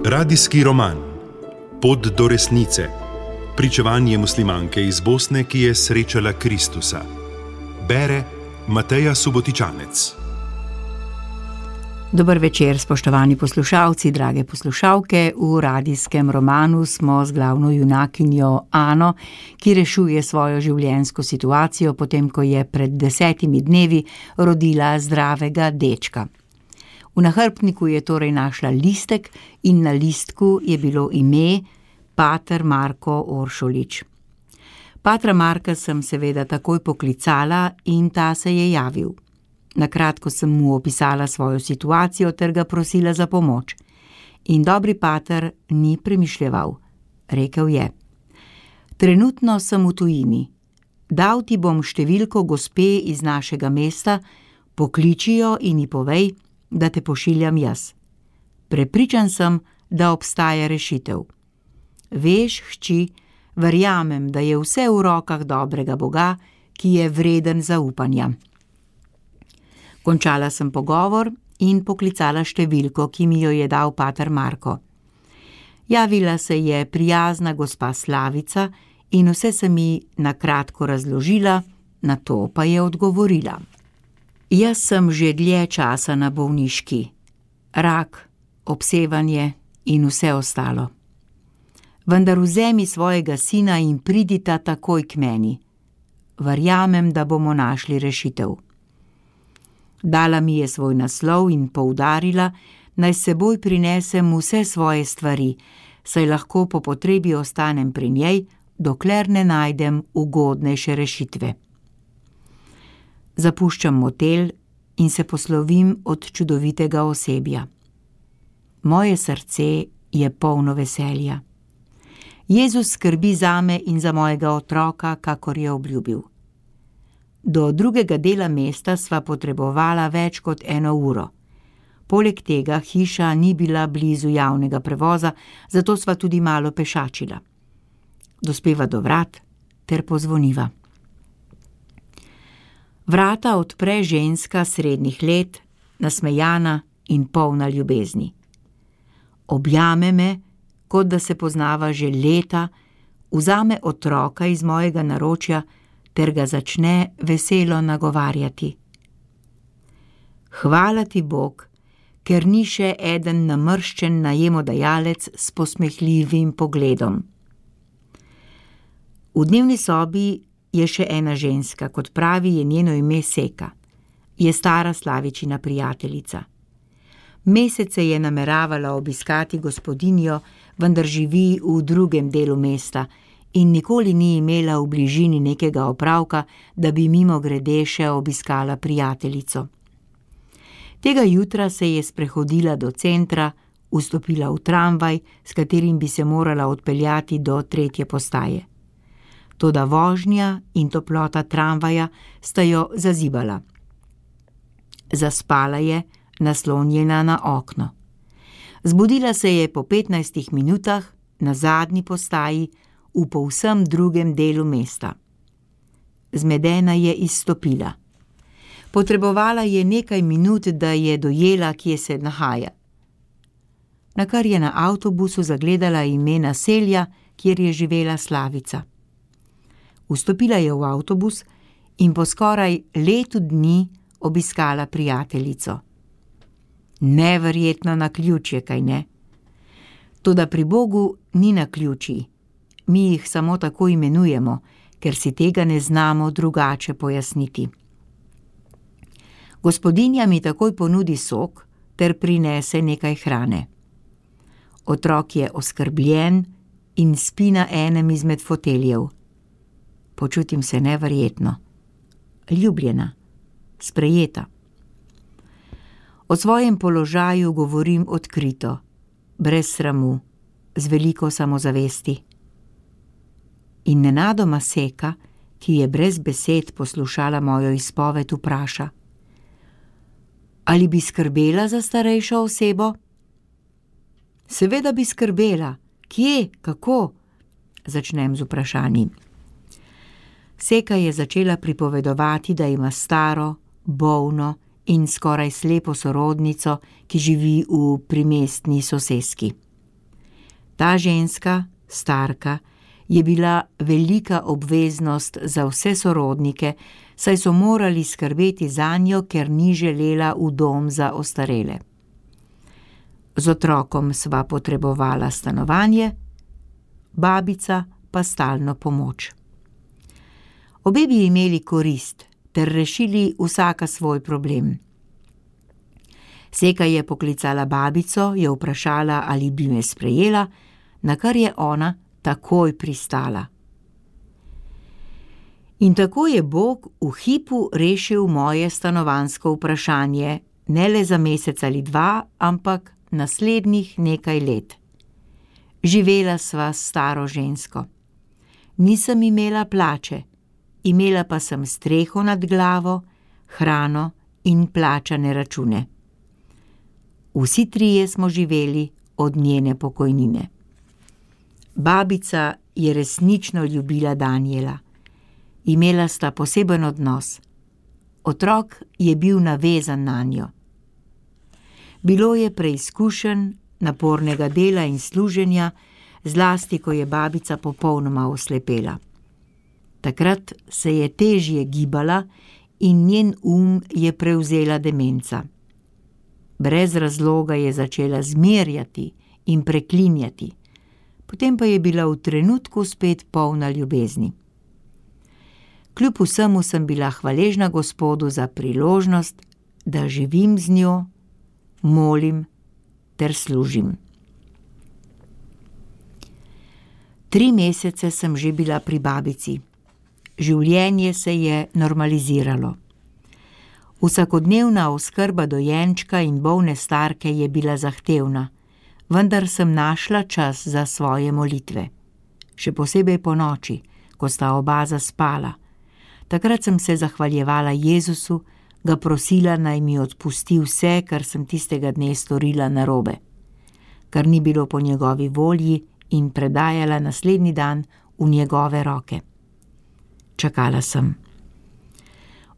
Radijski roman Pot do resnice. Pričevanje muslimanke iz Bosne, ki je srečala Kristusa. Bere Mateja Subotičanec. Dober večer, spoštovani poslušalci, drage poslušalke. V radijskem romanu smo z glavno junakinjo Ano, ki rešuje svojo življenjsko situacijo, potem ko je pred 10 dnevi rodila zdravega dečka. V nahrbtniku je torej našla listek in na listku je bilo ime Pater Marko Oršolič. Patra Marka sem seveda takoj poklicala in ta se je javil. Nakratko sem mu opisala svojo situacijo ter ga prosila za pomoč. In dobri pater ni premišljeval. Rekel je: "Trenutno sem v tujini. Dal ti bom številko gospe iz našega mesta, pokliči jo in ji povej, da te pošiljam jaz. Prepričan sem, da obstaja rešitev. Veš, hči, verjamem, da je vse v rokah dobrega Boga, ki je vreden zaupanja." Končala sem pogovor in poklicala številko, ki mi jo je dal pater Marko. Javila se je prijazna gospa Slavica in vse se mi nakratko razložila, nato pa je odgovorila: "Jaz sem že dlje časa na bolniški. Rak, obsevanje in vse ostalo. Vendar vzemi svojega sina in pridita takoj k meni. Verjamem, da bomo našli rešitev." Dala mi je svoj naslov in poudarila, naj s seboj prinesem vse svoje stvari, saj lahko po potrebi ostanem pri njej, dokler ne najdem ugodnejše rešitve. Zapuščam motel in se poslovim od čudovitega osebja. Moje srce je polno veselja. Jezus skrbi zame in za mojega otroka, kakor je obljubil. Do drugega dela mesta sva potrebovala več kot 1 uro. Poleg tega hiša ni bila blizu javnega prevoza, zato sva tudi malo pešačila. Dospeva do vrat ter pozvoniva. Vrata odpre ženska srednjih let, nasmejana in polna ljubezni. Objame me, kot da se poznava že leta, vzame otroka iz mojega naročja ter ga začne veselo nagovarjati. "Hvala ti, Bog, ker ni še eden namrščen najemodajalec s posmehljivim pogledom." V dnevni sobi je še ena ženska, kot pravi, je njeno ime Seka. Je stara Slavičina prijateljica. Mesece je nameravala obiskati gospodinjo, vendar živi v drugem delu mesta in nikoli ni imela v bližini nekega opravka, da bi mimogrede še obiskala prijateljico. Tega jutra se je sprehodila do centra, vstopila v tramvaj, s katerim bi se morala odpeljati do 3. postaje. Toda vožnja in toplota tramvaja sta jo zazibala. Zaspala je, naslonjena na okno. Zbudila se je po 15 minutah na zadnji postaji v povsem drugem delu mesta. Zmedena je izstopila. Potrebovala je nekaj minut, da je dojela, kje se nahaja. Nakar je na avtobusu zagledala ime naselja, kjer je živela Slavica. Vstopila je v avtobus in po skoraj letu dni obiskala prijateljico. Neverjetno naključje, kaj ne? Toda pri Bogu ni naključij. Mi jih samo tako imenujemo, ker si tega ne znamo drugače pojasniti. Gospodinja mi takoj ponudi sok ter prinese nekaj hrane. Otrok je oskrbljen in spi na enem izmed foteljev. Počutim se neverjetno. Ljubljena, sprejeta. O svojem položaju govorim odkrito, brez sramu, z veliko samozavesti. In nenadoma Seka, ki je brez besed poslušala mojo izpoved, vpraša: "Ali bi skrbela za starejšo osebo?" "Seveda bi skrbela. Kje, kako?" Začnem z vprašanji. Seka je začela pripovedovati, da ima staro, bolno in skoraj slepo sorodnico, ki živi v primestni soseski. Ta ženska, starka, je bila velika obveznost za vse sorodnike, saj so morali skrbeti zanjo, ker ni želela v dom za ostarele. Z otrokom sva potrebovala stanovanje, babica pa stalno pomoč. Obe bi imeli korist ter rešili vsaka svoj problem. Seka je poklicala babico, jo vprašala, ali bi me sprejela, na kar je ona takoj pristala. In tako je Bog v hipu rešil moje stanovanjsko vprašanje, ne le za mesec ali dva, ampak naslednjih nekaj let. Živela sva s staro žensko. Nisem imela plače, imela pa sem streho nad glavo, hrano in plačane račune. Vsi trije smo živeli od njene pokojnine. Babica je resnično ljubila Danijela. Imela sta poseben odnos. Otrok je bil navezan nanjo. Bilo je preizkušenj, napornega dela in služenja, zlasti ko je babica popolnoma oslepela. Takrat se je težje gibala in njen je prevzela demenca. Brez razloga je začela zmerjati in preklinjati, potem pa je bila v trenutku spet polna ljubezni. Kljub vsemu sem bila hvaležna Gospodu za priložnost, da živim z njo, molim ter služim. 3 mesece sem že bila pri babici. Življenje se je normaliziralo. Vsakodnevna oskrba dojenčka in bolne starke je bila zahtevna, vendar sem našla čas za svoje molitve. Še posebej ponoči, ko sta oba zaspala. Takrat sem se zahvaljevala Jezusu, ga prosila, naj mi odpusti vse, kar sem tistega dne storila narobe, kar ni bilo po njegovi volji, in predajala naslednji dan v njegove roke. Čakala sem.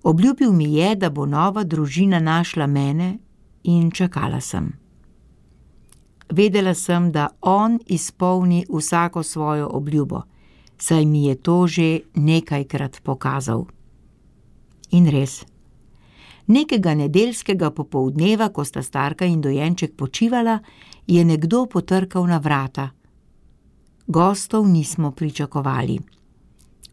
Obljubil mi je, da bo nova družina našla mene, in čakala sem. Vedela sem, da on izpolni vsako svojo obljubo, saj mi je to že nekajkrat pokazal. In res. Nekega nedeljskega popoldneva, ko sta starka in dojenček počivala, je nekdo potrkal na vrata. Gostov nismo pričakovali.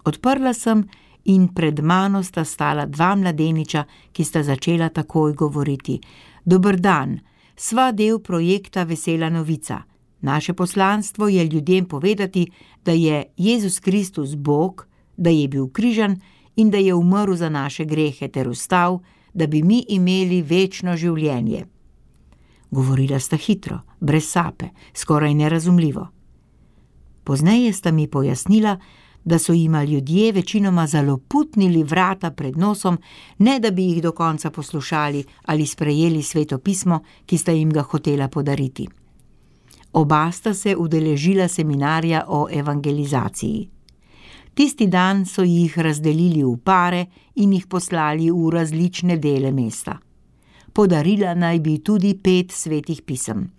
Odprla sem in pred mano sta stala 2 mladeniča, ki sta začela takoj govoriti. Dober dan, sva del projekta Vesela novica. Naše poslanstvo je ljudem povedati, da je Jezus Kristus Bog, da je bil križan in da je umrl za naše grehe ter vstal, da bi mi imeli večno življenje. Govorila sta hitro, brez sape, skoraj nerazumljivo. Pozneje sta mi pojasnila, da so jima ljudje večinoma zaloputnili vrata pred nosom, ne da bi jih do konca poslušali ali sprejeli Sveto pismo, ki sta jim ga hotela podariti. Oba sta se udeležila seminarja o evangelizaciji. Tisti dan so jih razdelili v pare in jih poslali v različne dele mesta. Podarila naj bi tudi 5 svetih pisem.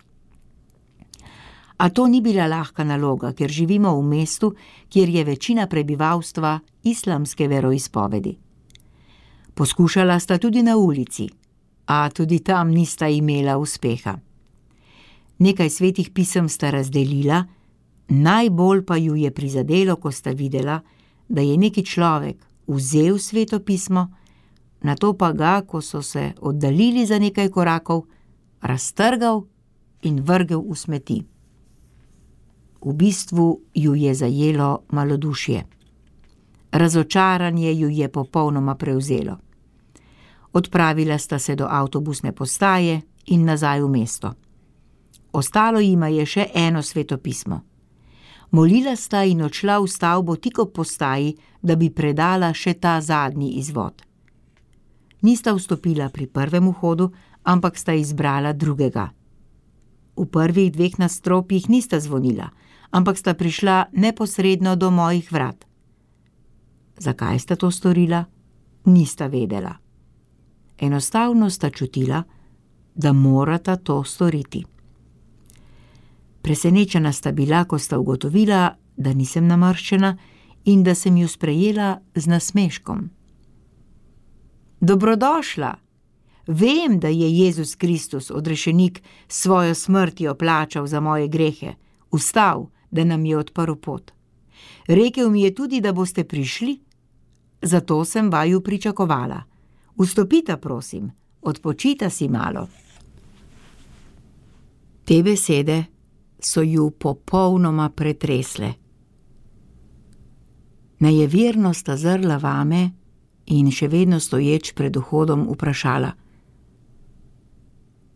A to ni bila lahka naloga, ker živimo v mestu, kjer je večina prebivalstva islamske veroizpovedi. Poskušala sta tudi na ulici, a tudi tam nista imela uspeha. Nekaj svetih pisem sta razdelila, najbolj pa ju je prizadelo, ko sta videla, da je neki človek vzel Sveto pismo, nato pa ga, ko so se oddaljili za nekaj korakov, raztrgal in vrgel v smeti. V bistvu ju je zajelo malodušje. Razočaranje ju je popolnoma prevzelo. Odpravila sta se do avtobusne postaje in nazaj v mesto. Ostalo jima je še eno Sveto pismo. Molila sta in odšla v stavbo tik ob postaji, da bi predala še ta zadnji izvod. Nista vstopila pri prvem vhodu, ampak sta izbrala drugega. V prvih 2 nadstropjih nista zvonila, ampak sta prišla neposredno do mojih vrat. Zakaj sta to storila? Nista vedela. enostavno sta čutila, da morata to storiti. Presenečena sta bila, ko sta ugotovila, da nisem namrščena in da sem ju sprejela z nasmeškom. Dobrodošla! Vem, da je Jezus Kristus, odrešenik, svojo smrtjo plačal za moje grehe, vstal, da nam je odprl pot. Rekel mi je tudi, da boste prišli, zato sem vaju pričakovala. Vstopita, prosim, odpočita si malo. Te besede so ju popolnoma pretresle. Nejeverno sta zrla vame in še vedno stoječ pred vhodom vprašala: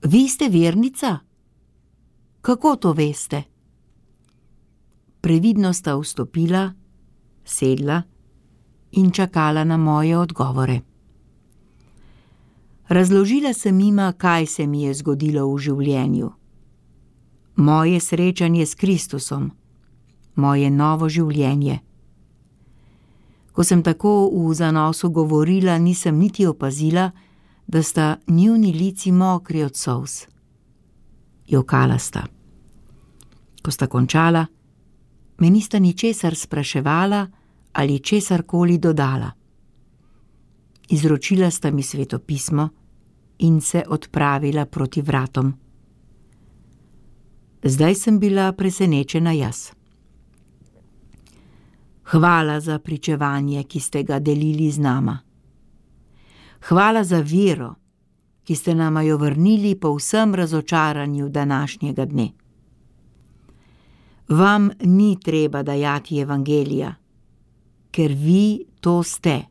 Vi ste vernica? Kako to veste? Previdno sta vstopila, sedla in čakala na moje odgovore. Razložila sem jima, kaj se mi je zgodilo v življenju. Moje srečanje s Kristusom, moje novo življenje. Ko sem tako v zanosu govorila, nisem niti opazila, da sta njuni lici mokri od solz. Jokala sta. Ko sta končala, me nista ničesar spraševala ali česarkoli dodala. Izročila sta mi svetopismo in se odpravila proti vratom. Zdaj sem bila presenečena jaz. Hvala za pričevanje, ki ste ga delili z nama. Hvala za vero, ki ste nama jo vrnili po vsem razočaranju današnjega dne. Vam ni treba dajati evangelija, ker vi to ste.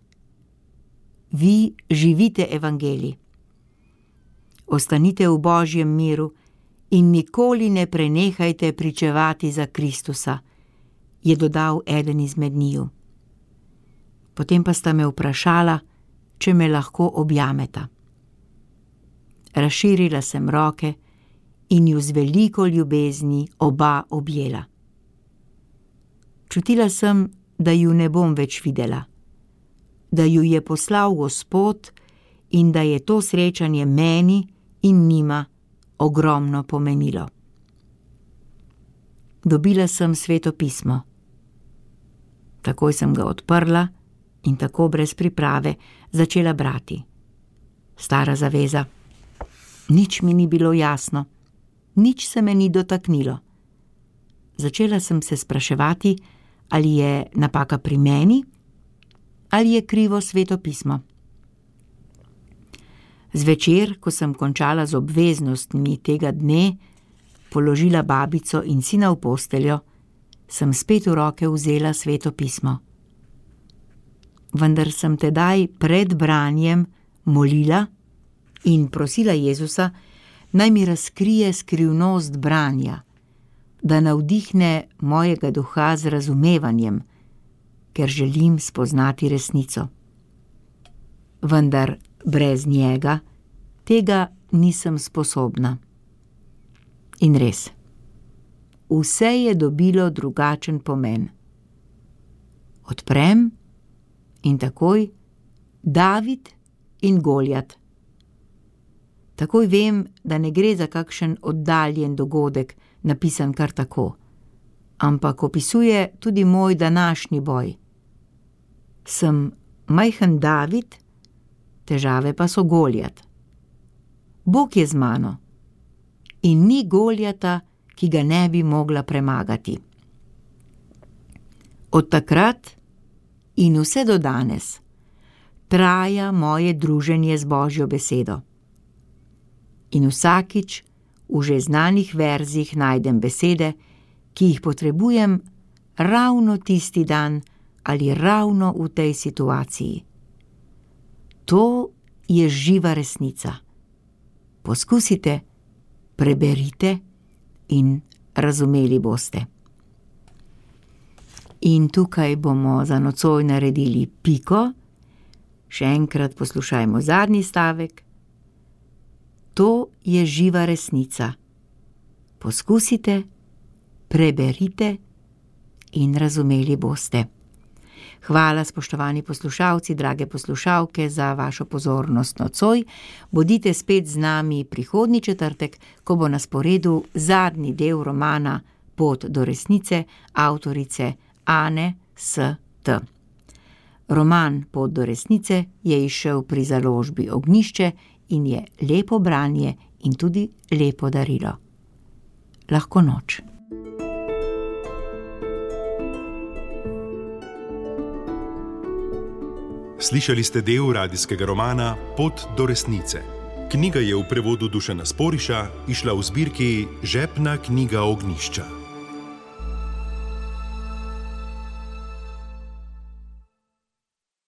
Vi živite evangelij. Ostanite v Božjem miru in nikoli ne prenehajte pričevati za Kristusa, je dodal eden izmed njiju. Potem pa sta me vprašala, če me lahko objameta. Razširila sem roke in ju z veliko ljubezni oba objela. Čutila sem, da ju ne bom več videla, da ju je poslal Gospod in da je to srečanje meni in njima ogromno pomenilo. Dobila sem svetopismo. Takoj sem ga odprla in tako brez priprave začela brati. Stara zaveza. Nič mi ni bilo jasno, nič se me ni dotaknilo. Začela sem se spraševati, ali je napaka pri meni, ali je krivo svetopismo. Zvečer, ko sem končala z obveznostmi tega dne, položila babico in sina v posteljo, sem spet v roke vzela svetopismo. Vendar sem tedaj pred branjem molila in prosila Jezusa, naj mi razkrije skrivnost branja, da navdihne mojega duha z razumevanjem, ker želim spoznati resnico. Vendar brez njega tega nisem sposobna. In res, vse je dobilo drugačen pomen. Odprem in takoj David in Goljat. Takoj vem, da ne gre za kakšen oddaljen dogodek, napisan kar tako, ampak opisuje tudi moj današnji boj. Sem majhen David, težave pa so Goljat. Bog je z mano in ni Goljata, ki ga ne bi mogla premagati. Od takrat in vse do danes traja moje druženje z Božjo besedo. In vsakič v že znanih verzih najdem besede, ki jih potrebujem ravno tisti dan ali ravno v tej situaciji. To je živa resnica. Poskusite, preberite in razumeli boste. In tukaj bomo za nocoj naredili piko. Še enkrat poslušajmo zadnji stavek. To je živa resnica. Poskusite, preberite in razumeli boste. Hvala, spoštovani poslušalci, drage poslušalke, za vašo pozornost nocoj. Bodite spet z nami prihodnji četrtek, ko bo na sporedu zadnji del romana Pot do resnice avtorice Ane S.T. Roman Pot do resnice je izšel pri založbi Ognjišče in je lepo branje in tudi lepo darilo. Lahko noč. Slišali ste del radijskega romana Pot do resnice. Knjiga je v prevodu Dušana Sporiša izšla v zbirki Žepna knjiga Ognjišča.